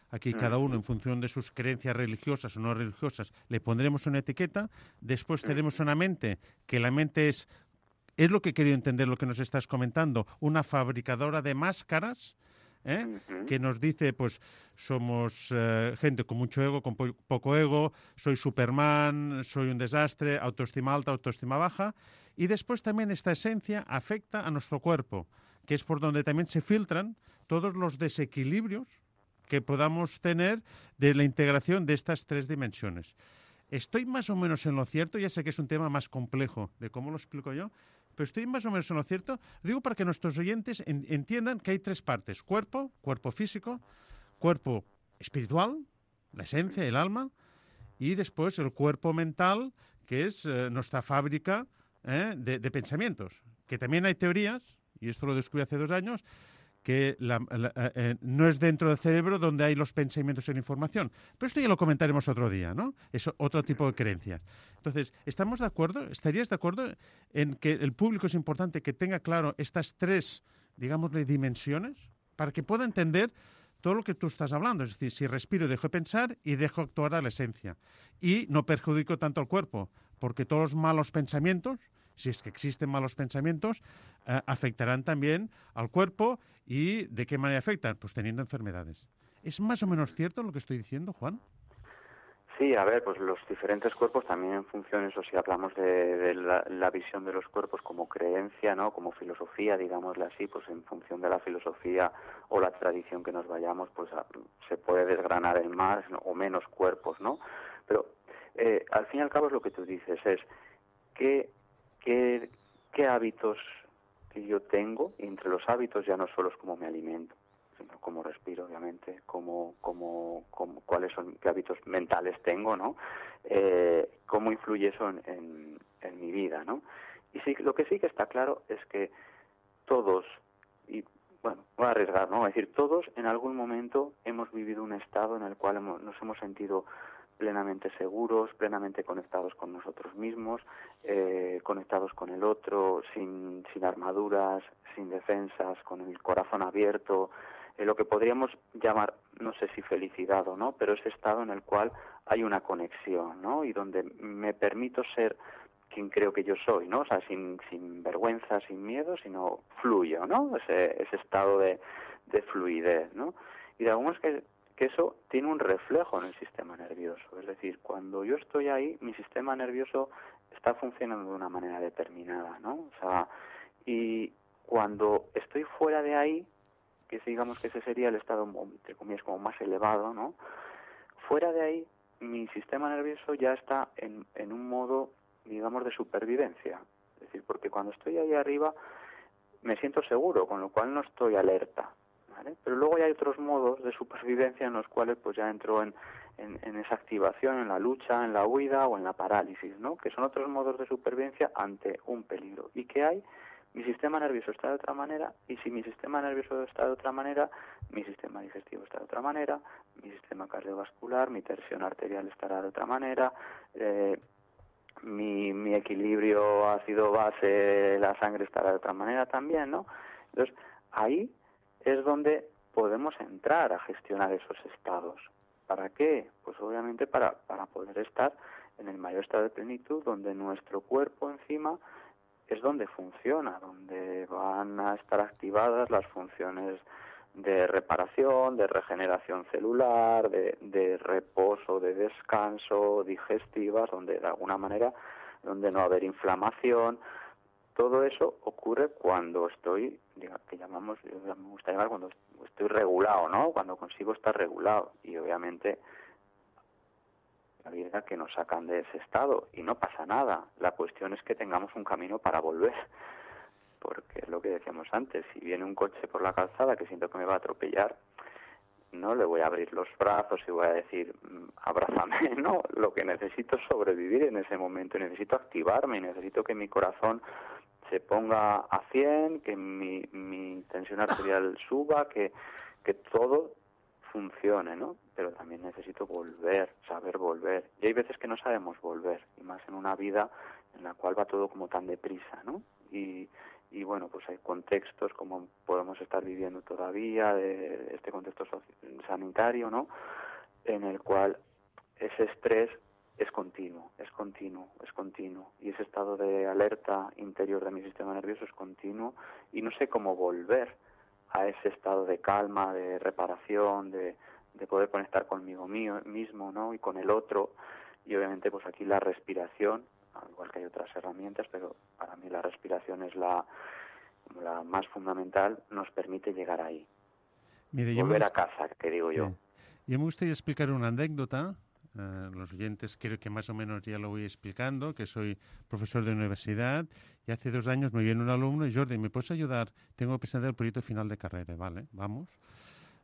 Speaker 2: Aquí cada uno, en función de sus creencias religiosas o no religiosas, le pondremos una etiqueta. Después tenemos una mente, que la mente es lo que he querido entender, lo que nos estás comentando, una fabricadora de máscaras, que nos dice, pues, somos gente con mucho ego, con poco ego, soy Superman, soy un desastre, autoestima alta, autoestima baja. Y después también esta esencia afecta a nuestro cuerpo, que es por donde también se filtran todos los desequilibrios que podamos tener de la integración de estas tres dimensiones. Estoy más o menos en lo cierto, ya sé que es un tema más complejo de cómo lo explico yo, pero estoy más o menos en lo cierto. Digo para que nuestros oyentes entiendan que hay tres partes: cuerpo físico, cuerpo espiritual, la esencia, el alma, y después el cuerpo mental, que es nuestra fábrica de pensamientos. Que también hay teorías, y esto lo descubrí hace 2 años, que no es dentro del cerebro donde hay los pensamientos y la información. Pero esto ya lo comentaremos otro día, ¿no? Es otro tipo de creencias. Entonces, ¿estamos de acuerdo? ¿Estarías de acuerdo en que el público es importante que tenga claro estas tres, digámosle, dimensiones, para que pueda entender todo lo que tú estás hablando? Es decir, si respiro, dejo de pensar y dejo actuar a la esencia. Y no perjudico tanto al cuerpo, porque todos los malos pensamientos, si es que existen malos pensamientos, afectarán también al cuerpo. ¿Y de qué manera afectan? Pues teniendo enfermedades. ¿Es más o menos cierto lo que estoy diciendo, Juan?
Speaker 8: Sí, a ver, pues los diferentes cuerpos también en función, eso si hablamos de la visión de los cuerpos como creencia, ¿no? Como filosofía, digámosle así, pues en función de la filosofía o la tradición que nos vayamos, pues se puede desgranar en más o menos cuerpos, ¿no? Pero al fin y al cabo es lo que tú dices, es ¿qué hábitos que yo tengo? Y entre los hábitos ya no solo es cómo me alimento, sino cómo respiro, obviamente, cuáles son, qué hábitos mentales tengo, ¿no? Cómo influye eso en mi vida, ¿no? Y sí, lo que sí que está claro es que todos, y bueno, voy a arriesgar, ¿no? Es decir, todos en algún momento hemos vivido un estado en el cual nos hemos sentido plenamente seguros, plenamente conectados con nosotros mismos, conectados con el otro, sin armaduras, sin defensas, con el corazón abierto, lo que podríamos llamar, no sé si felicidad o no, pero ese estado en el cual hay una conexión, ¿no? Y donde me permito ser quien creo que yo soy, ¿no? O sea, sin vergüenza, sin miedo, sino fluyo, ¿no? Ese estado de fluidez, ¿no? Y de algunos que eso tiene un reflejo en el sistema nervioso. Es decir, cuando yo estoy ahí, mi sistema nervioso está funcionando de una manera determinada, ¿no? O sea, y cuando estoy fuera de ahí, que digamos que ese sería el estado, entre comillas, como más elevado, ¿no? Fuera de ahí, mi sistema nervioso ya está en un modo, digamos, de supervivencia. Es decir, porque cuando estoy ahí arriba me siento seguro, con lo cual no estoy alerta, ¿vale? Pero luego ya hay otros modos de supervivencia en los cuales pues ya entro en esa activación, en la lucha, en la huida o en la parálisis, ¿no? Que son otros modos de supervivencia ante un peligro. ¿Y qué hay? Mi sistema nervioso está de otra manera, y si mi sistema nervioso está de otra manera, mi sistema digestivo está de otra manera, mi sistema cardiovascular, mi tensión arterial estará de otra manera, mi equilibrio ácido-base, la sangre estará de otra manera también, ¿no? Entonces, ahí es donde podemos entrar a gestionar esos estados. ¿Para qué? Pues obviamente para poder estar en el mayor estado de plenitud, donde nuestro cuerpo encima es donde funciona, donde van a estar activadas las funciones de reparación, de regeneración celular, de reposo, de descanso, digestivas, donde de alguna manera, donde no va a haber inflamación. Todo eso ocurre cuando estoy, que llamamos, me gusta llamar cuando estoy regulado, ¿no? Cuando consigo estar regulado. Y obviamente la vida que nos sacan de ese estado, y no pasa nada. La cuestión es que tengamos un camino para volver, porque es lo que decíamos antes, si viene un coche por la calzada que siento que me va a atropellar, no le voy a abrir los brazos y voy a decir abrázame, no, lo que necesito es sobrevivir en ese momento, necesito activarme, necesito que mi corazón se ponga a 100, que mi tensión arterial suba, que todo funcione, ¿no? Pero también necesito volver, saber volver. Y hay veces que no sabemos volver, y más en una vida en la cual va todo como tan deprisa, ¿no? Y bueno, pues hay contextos como podemos estar viviendo todavía, de este contexto sanitario, ¿no? En el cual ese estrés es continuo. Y ese estado de alerta interior de mi sistema nervioso es continuo y no sé cómo volver a ese estado de calma, de reparación, de poder conectar conmigo mismo, ¿no? Y con el otro. Y obviamente pues aquí la respiración, al igual que hay otras herramientas, pero para mí la respiración es la más fundamental, nos permite llegar ahí.
Speaker 2: Mire,
Speaker 8: volver a casa, que digo yo.
Speaker 2: Yo me gustaría explicar una anécdota. Los oyentes creo que más o menos ya lo voy explicando, que soy profesor de universidad y hace 2 años me viene un alumno y Jordi, ¿me puedes ayudar? Tengo que presentar el proyecto final de carrera. Vale, vamos.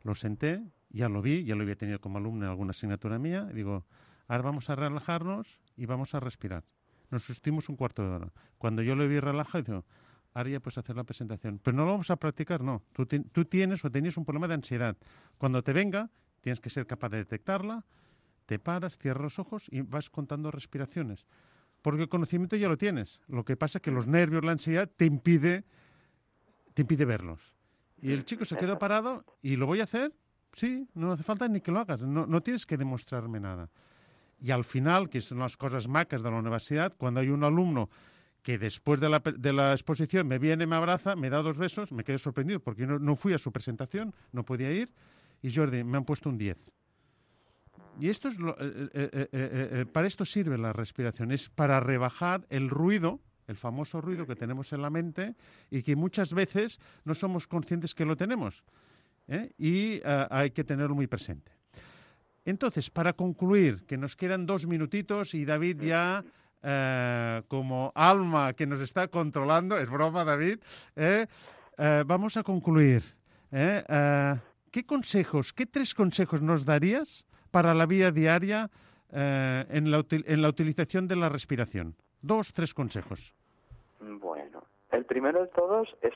Speaker 2: Lo senté, ya lo vi, ya lo había tenido como alumno en alguna asignatura mía y digo, ahora vamos a relajarnos y vamos a respirar. Nos sustimos un cuarto de hora. Cuando yo lo vi relajado, digo, ahora ya puedes hacer la presentación. Pero no lo vamos a practicar, no. Tú tienes o tenías un problema de ansiedad. Cuando te venga, tienes que ser capaz de detectarla, te paras, cierras los ojos y vas contando respiraciones. Porque el conocimiento ya lo tienes. Lo que pasa es que los nervios, la ansiedad, te impide verlos. Y el chico se quedó parado y ¿lo voy a hacer? Sí, no hace falta ni que lo hagas. No tienes que demostrarme nada. Y al final, que son las cosas macas de la universidad, cuando hay un alumno que después de la exposición me viene, me abraza, me da 2 besos, me quedé sorprendido porque no fui a su presentación, no podía ir, y Jordi, me han puesto un 10. Y esto es para esto sirve la respiración, es para rebajar el ruido, el famoso ruido que tenemos en la mente y que muchas veces no somos conscientes que lo tenemos, y hay que tenerlo muy presente. Entonces, para concluir, que nos quedan 2 minutitos y David ya, como alma que nos está controlando, es broma David, vamos a concluir. ¿Qué 3 consejos nos darías para la vida diaria en la utilización de la respiración? 2, 3 consejos.
Speaker 8: Bueno, el primero de todos es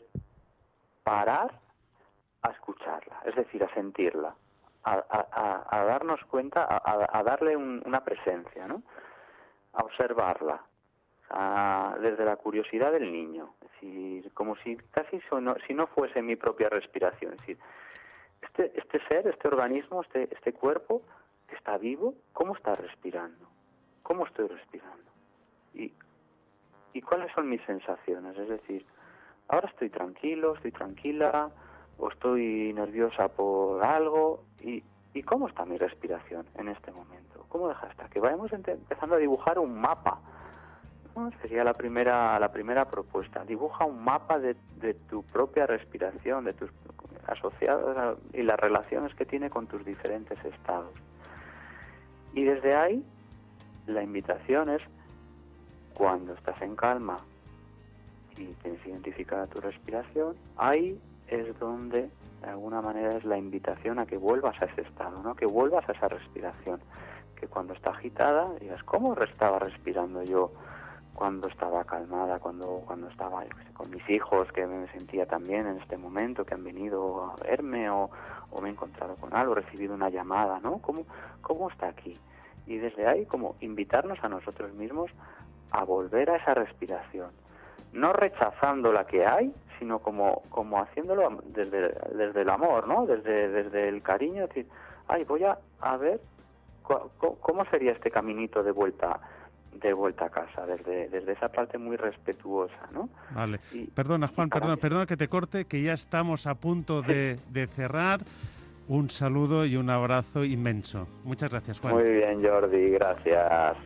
Speaker 8: parar a escucharla, es decir, a sentirla, a darnos cuenta, a darle una presencia, ¿no? A observarla, desde la curiosidad del niño, es decir, como si casi si no fuese mi propia respiración, es decir, este ser, este organismo, este cuerpo que está vivo, ¿cómo está respirando? ¿Cómo estoy respirando? ¿Y cuáles son mis sensaciones? Es decir, ahora estoy tranquilo, estoy tranquila, o estoy nerviosa por algo, ¿y cómo está mi respiración en este momento? ¿Cómo deja estar? Que vayamos empezando a dibujar un mapa, ¿no? Sería la primera propuesta. Dibuja un mapa de tu propia respiración, de tus asociados y las relaciones que tiene con tus diferentes estados. Y desde ahí, la invitación es, cuando estás en calma y tienes identificada tu respiración, ahí es donde, de alguna manera, es la invitación a que vuelvas a ese estado, ¿no? Que vuelvas a esa respiración. Que cuando está agitada, digas, ¿cómo estaba respirando yo cuando estaba calmada, cuando estaba, yo qué sé, con mis hijos, que me sentía también en este momento, que han venido a verme, o me he encontrado con algo, he recibido una llamada, ¿no? ¿Cómo está aquí? Y desde ahí, como invitarnos a nosotros mismos a volver a esa respiración. No rechazando la que hay, sino como haciéndolo desde el amor, ¿no? Desde el cariño, es decir, voy a ver cómo sería este caminito de vuelta a casa, desde esa parte muy respetuosa, ¿no? Vale.
Speaker 2: Perdona, Juan, perdona que te corte, que ya estamos a punto de cerrar. Un saludo y un abrazo inmenso. Muchas gracias, Juan.
Speaker 8: Muy bien, Jordi, gracias.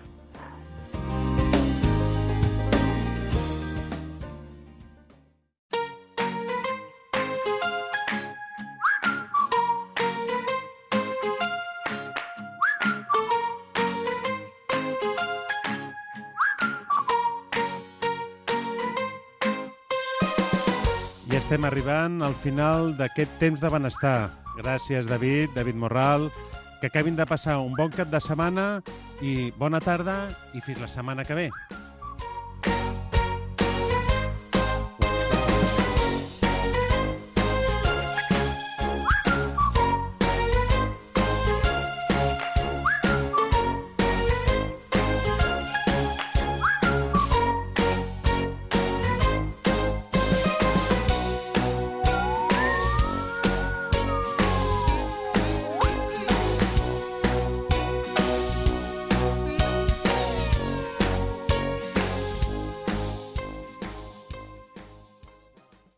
Speaker 2: I estem arribant al final d'aquest temps de benestar. Gràcies, David Morral. Que acabin de passar un bon cap de setmana i bona tarda i fins la setmana que ve.